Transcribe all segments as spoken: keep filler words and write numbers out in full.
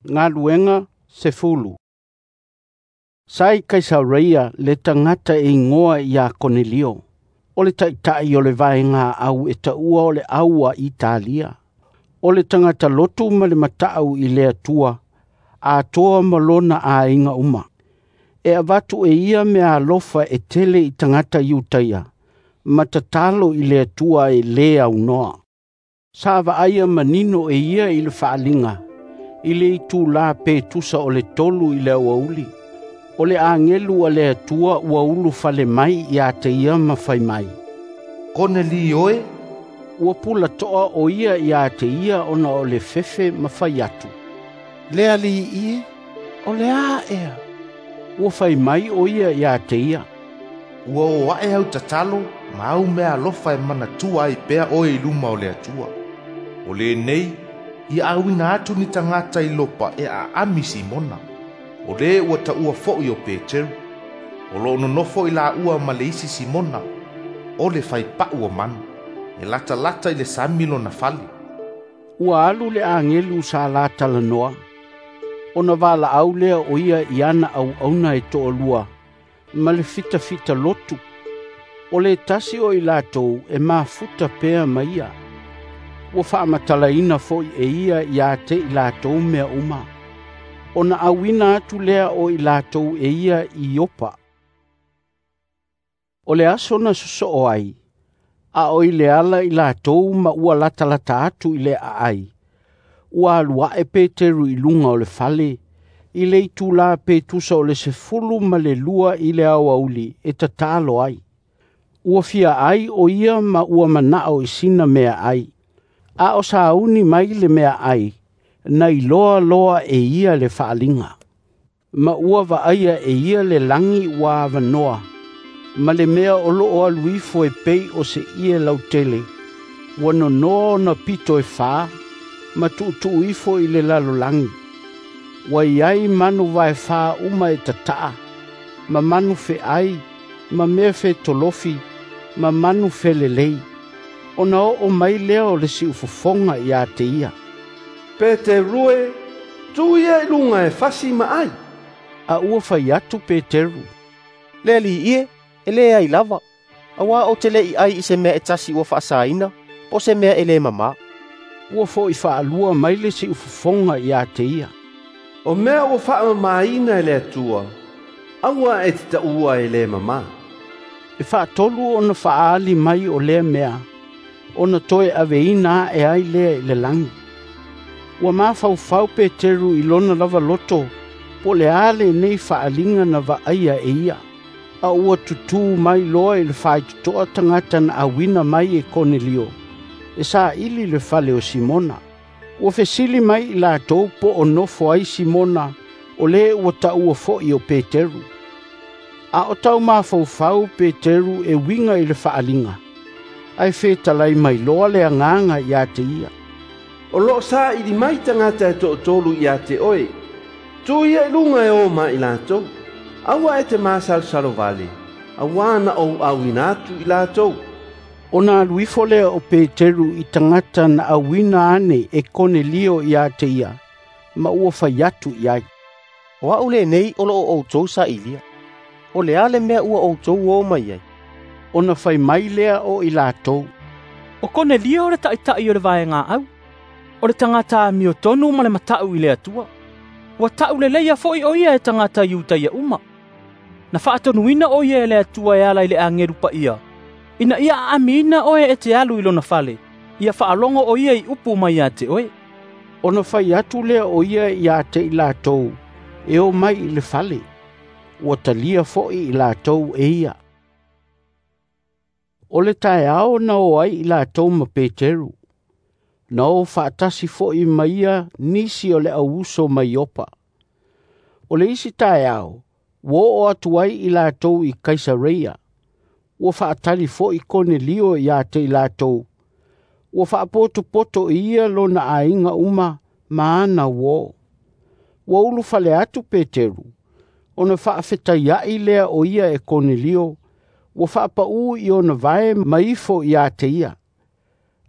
Galuega sefulu. Sa i Kaisareia le tagata e igoa ia Konelio, o le taʻitaʻi o le vaegaau e taua o le Au a Italia. O le tagata lotu ma le mataʻu i le Atua, atoa ma lona aiga uma. E avatu e ia meaalofa e tele i tagata Iutaia, ma tatalo i le Atua e lē aunoa. Sa vaaia manino e ia i le faaaliga, i le itula pe tusa o le tolu i le aoauli, o le agelu a le Atua ua ulufale mai ia te ia ma fai mai, “Konelio e!” Ua pulatoa o ia ia te ia ona o le fefe ma fai atu, “Le Alii e, o le a ea?” Ua fai mai o ia ia te ia, “Ua oo ae au tatalo ma au meaalofa e manatua ai pea oe i luma o le Atua. O lenei, ia auina atu ni tagata i Iopa e aami Simona, o le ua taua foi o Peteru. O lo o nonofo i laua ma le isi Simona, o le faipau o manu. E latalata i le sami lona fale.” Ua alu le agelu sa la talanoa, ona valaau lea o ia i ana auauna e toalua ma le fitafita lotu, o le tasi o i latou e mafuta pea ma ia. Ua faamatalaina foi e ia ia te i latou mea uma, ona auina atu lea o i latou e ia i Iopa. O le aso na sosoo ai, a o i le ala i latou ma ua latalata atu i le aai, ua alu ae Peteru i luga o le fale, i le itula pe tusa o le sefulu ma le lua i le aoauli e tatalo ai. Ua fia ai o ia ma ua manao i sina meaai. A o sauni mai le meaai, na iloa loa e ia le faaaliga. Ma ua vaaia e ia le lagi ua avanoa, ma le mea o loo alu ifo e pei o se ie lautele, ua nonoa ona pito e fa, ma tuutuu ifo i le lalolagi. Ua iai manu vaefa uma e tataa, ma manu feai, ma mea fetolofi, ma manu felelei. Ona oo mai lea o le siufofoga ia te ia, “Peteru e, tu ia i luga e fasi ma ai.” A ua fai atu Peteru, “Le Alii e, e leai lava, auā ou te le i ai i se mea e tasi ua faasaina, po o se mea e lē mamā.” Ua foi faalua mai le siufofoga ia te ia, “O mea ua faamamaina e le Atua, aua e te taua e le mamā.” E faatolu ona faaali mai o lea mea, ona toe aveina ae ai lea i le lagi. Ua mafaufau Peteru i lona lava loto po o le a lenei faaaliga na vaaia e ia, a ua tutū mai loa i le faitotoa tagata na auina mai e Konelio e saili le fale o Simona. Ua fesili mai i latou po o nofo ai Simona o le ua taua foi o Peteru. A o tau mafaufau Peteru e uiga i le faaaliga, ae fetalai mai loa le Agaga ia te ia, “O loo saili mai tagata e toatolu ia te oe. Tu ia i luga e o ma i latou. Aua e te masalosalo vale, auā na ou auina atu i latou.” Ona alu ifo lea o Peteru i tagata na auina ane e Konelio ia te ia, ma ua fai atu i ai, “O au lenei o lo o outou sailia. O le a le mea ua outou o mai ai?” Ona fai mai lea o i latou, “O Konelio le taʻitaʻi o le vaegaau. O le tagata amiotonu ma le mataʻu i le Atua. Ua tauleleia foi o ia e tagata Iutaia uma. Na faatonuina o ia e le Atua e ala i le agelu paia, ina ia aamiina oe e te alu i lona fale, ia faalogo o ia i upu mai ia te oe.” Ona fai atu lea o ia ia te i latou e o mai i le fale. Ua talia foi i latou e ia. O le taeao na o ai i latou ma Peteru. Na o faatasi foi ma ia nisi o le auuso mai Iopa. O le isi taeao, ua oo atu ai i latou i Kaisareia. Ua faatali foi Konelio ia te i latou. Ua faapotopoto e ia lona aiga uma ma ana uō. Ua ulufale atu Peteru, ona faafetaiai lea o ia e Konelio, ua faapaū i ona vae ma ifo ia te ia.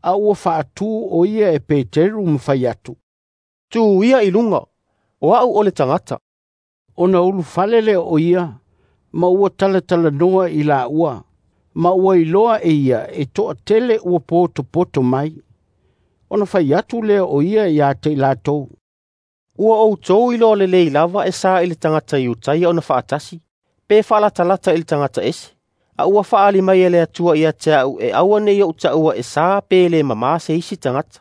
A ua faatū o ia e Peteru ma fai atu, “Tu ia i luga, O a'u o le tagata." Ona ulufale lea o ia, ma ua talatalanoa i laua, ma ua iloa e ia e toatele ua potopoto mai. Ona fai atu lea o ia ia te i latou, "Ua outou iloa lelei lava e sa i le tagata Iutaia ona faatasi, pe faalatalata i le tagata ese, a ua faaali mai e le Atua ia te a'u e aua ne i ou taua e sa pe le mamā se isi tagata.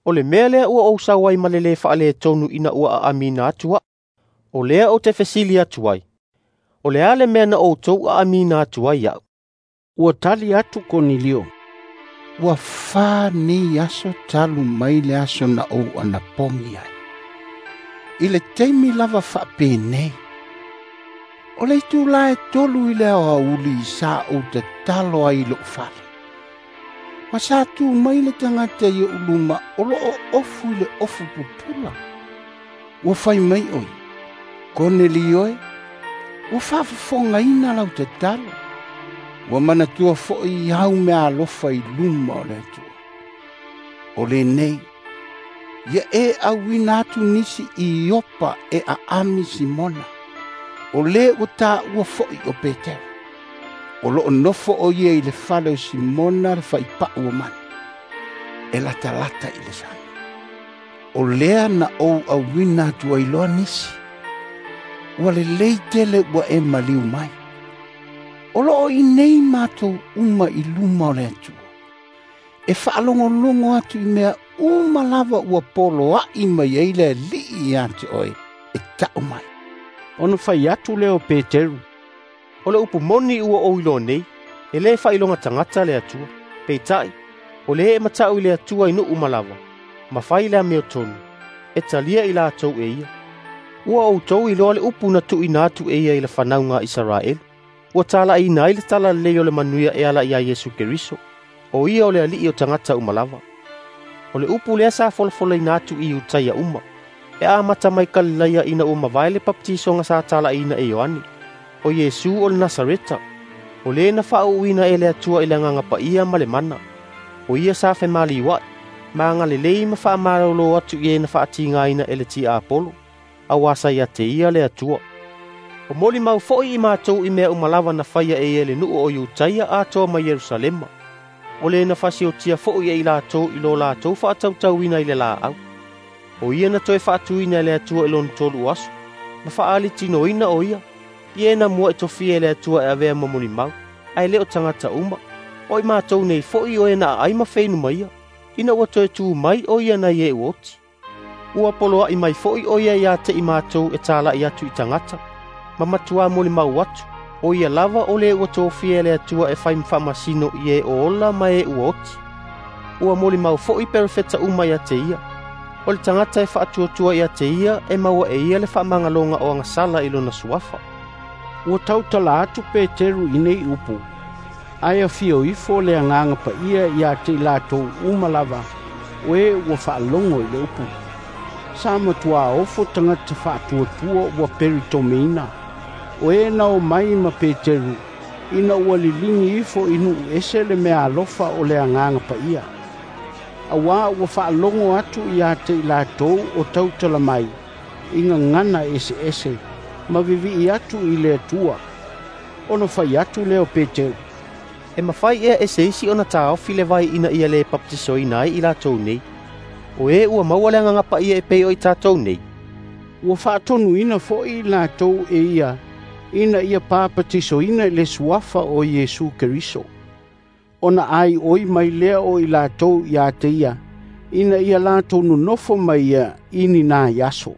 O le mea lea ua ou sau ai ma le lē faaletonu ina ua aamiina atu a'u. O lea ou te fesili atu ai, o le a le mea na outou aamiina atu ai a'u?" Ua tali atu Konelio, "Ua fa nei aso talu mai le aso na ou anapogi ai. I le taimi lava faapenei, o le itulā e tolu i le aoauli sa ou tatalo ai i lo'u fale. Ma sa tu mai le tagata i o'u luma o loo ofu i le ofu pupula. Ua fai mai oi, Konelio e, ua faafofogaina lau tatalo. Ua manatua fo'i au mea alofa i luma o le Atua. O lenei, ia e auina atu nisi i Iopa e aami Simona, o lē ua tāua fo'i o Petero. O loo nofo o ia i le fale o Simona le faipa'u o manu, e latalata i le sami. O lea na ou auina atu ai loa nisi. Ua lelei tele ua e maliu mai. O loo i nei matou uma i luma o le Atua, e faalogologo atu i mea uma lava ua poloa'i mai ai le Alii ia te oe e ta'u mai." Ona fai atu lea o Peteru, "O le upu moni ua ou iloa nei, e lē faailoga tagata le Atua. Peitai, o lē e mata'u i le Atua i nuu uma lava, ma fai le amiotonu, e talia i latou e ia. Ua outou iloa le upu na tuuina atu e ia i le fanauga a Isaraelu, ua tala'iina ai le talalelei o le manuia e ala iā Iesu Keriso, o ia o le Ali'i o tagata uma lava. O le upu lea sa folafolaina atu i Iutaia uma, e amata mai Kalilaia ina ua mavae le papatisoga sa tala'iina e Ioane, o Iesu o le Nasareta, o lē na faauuina e le Atua i le Agaga Paia ma le mana. O ia sa femaliua'i, ma agalelei ma faamalōlō atu i e na faatigāina e le tiapolo, auā sa ia te ia le Atua. O molimau fo'i i matou i mea uma lava na faia e ia i le nuu o Iutaia atoa ma Ierusalema. O lē na fasiotia fo'i e i latou i lo latou faatautauina i le laau. O ia na toe faatuina e le Atua i lona tolu o aso, ma faaalitinoina o ia, i e na mua e tofia e le Atua e avea ma molimau, ae lē o tagata uma. O i matou nei fo'i o e na aai ma feinu ma ia, ina ua toe tū mai o ia nai e ua oti. Ua poloa'i mai fo'i o ia iā te i matou e tala'i atu i tagata, ma matuā molimau atu, o ia lava o lē ua tofia e le Atua e fai ma faamasino i e o ola ma e ua oti. Ua molimau fo'i perofeta uma ia te ia. O le tagata e faatuatua ia te ia e maua e ia le faamagaloga o agasala i lona suafa." Ua tautala atu Peteru i nei upu, ae afio ifo le Agaga Paia ia te i latou uma lava, o e ua faalogo i le upu. Sa matuā ofo tagata faatuatua ua peritomeina, o e na omai ma Peteru, ina ua liligi ifo i nuu ese le meaalofa o le Agaga Paia. Auā ua faalogo atu ia te i latou o tautala mai, i gagana eseese, ma vivi'i atu i le Atua. Ona fai atu lea o Peteru, "E mafai ea e se isi ona taofi le vai ina ia lē papatisoina ai i latou nei, o e ua maua le Agaga Paia e pei o i tatou nei?" Ua faatonuina fo'i latou e ia, ina ia papatisoina i le suafa o Iesu Keriso. Ona aioi mai lea o i latou ia te ia, ina ia latou nonofo mai ia i ni nai aso.